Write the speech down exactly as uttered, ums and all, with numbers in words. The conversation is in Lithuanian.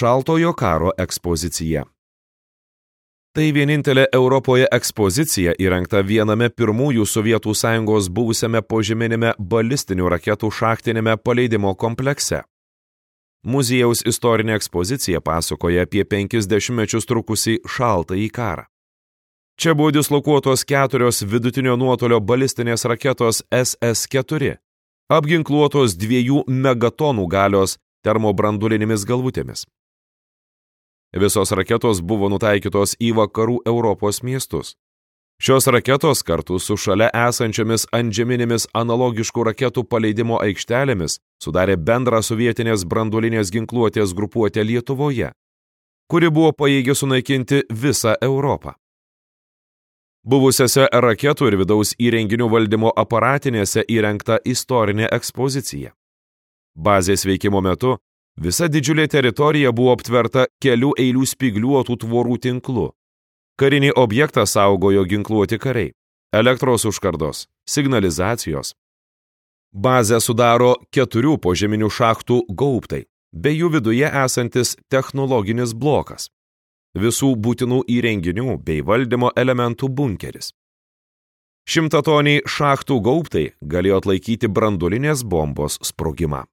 Šaltojo karo ekspozicija. Tai vienintelė Europoje ekspozicija įrengta viename pirmųjų Sovietų Sąjungos buvusiame požeminėme balistinių raketų šachtinėme paleidimo komplekse. Muziejaus istorinė ekspozicija pasakoja apie penkis dešimtmečius trukusį šaltąjį karą. Čia buvo dislokuotos keturios vidutinio nuotolio balistinės raketos S S keturi, apginkluotos dviejų megatonų galios termobranduolinėmis galvutėmis. Visos raketos buvo nutaikytos į vakarų Europos miestus. Šios raketos kartu su šalia esančiomis antžeminėmis analogiškų raketų paleidimo aikštelėmis sudarė bendrą sovietinės branduolinės ginkluotės grupuotę Lietuvoje, kuri buvo pajėgi sunaikinti visą Europą. Buvusiose raketų ir vidaus įrenginių valdymo aparatinėse įrengta istorinė ekspozicija. Bazės veikimo metu visa didžiulė teritorija buvo aptverta kelių eilių spygliuotų tvorų tinklu. Karinį objektą saugojo ginkluoti kariai, elektros užkardos, signalizacijos. Bazę sudaro keturių požeminių šachtų gaubtai, bei jų viduje esantis technologinis blokas. Visų būtinų įrenginių bei valdymo elementų bunkeris. Šimtatoniai šachtų gaubtai galėjo atlaikyti branduolinės bombos sprogimą.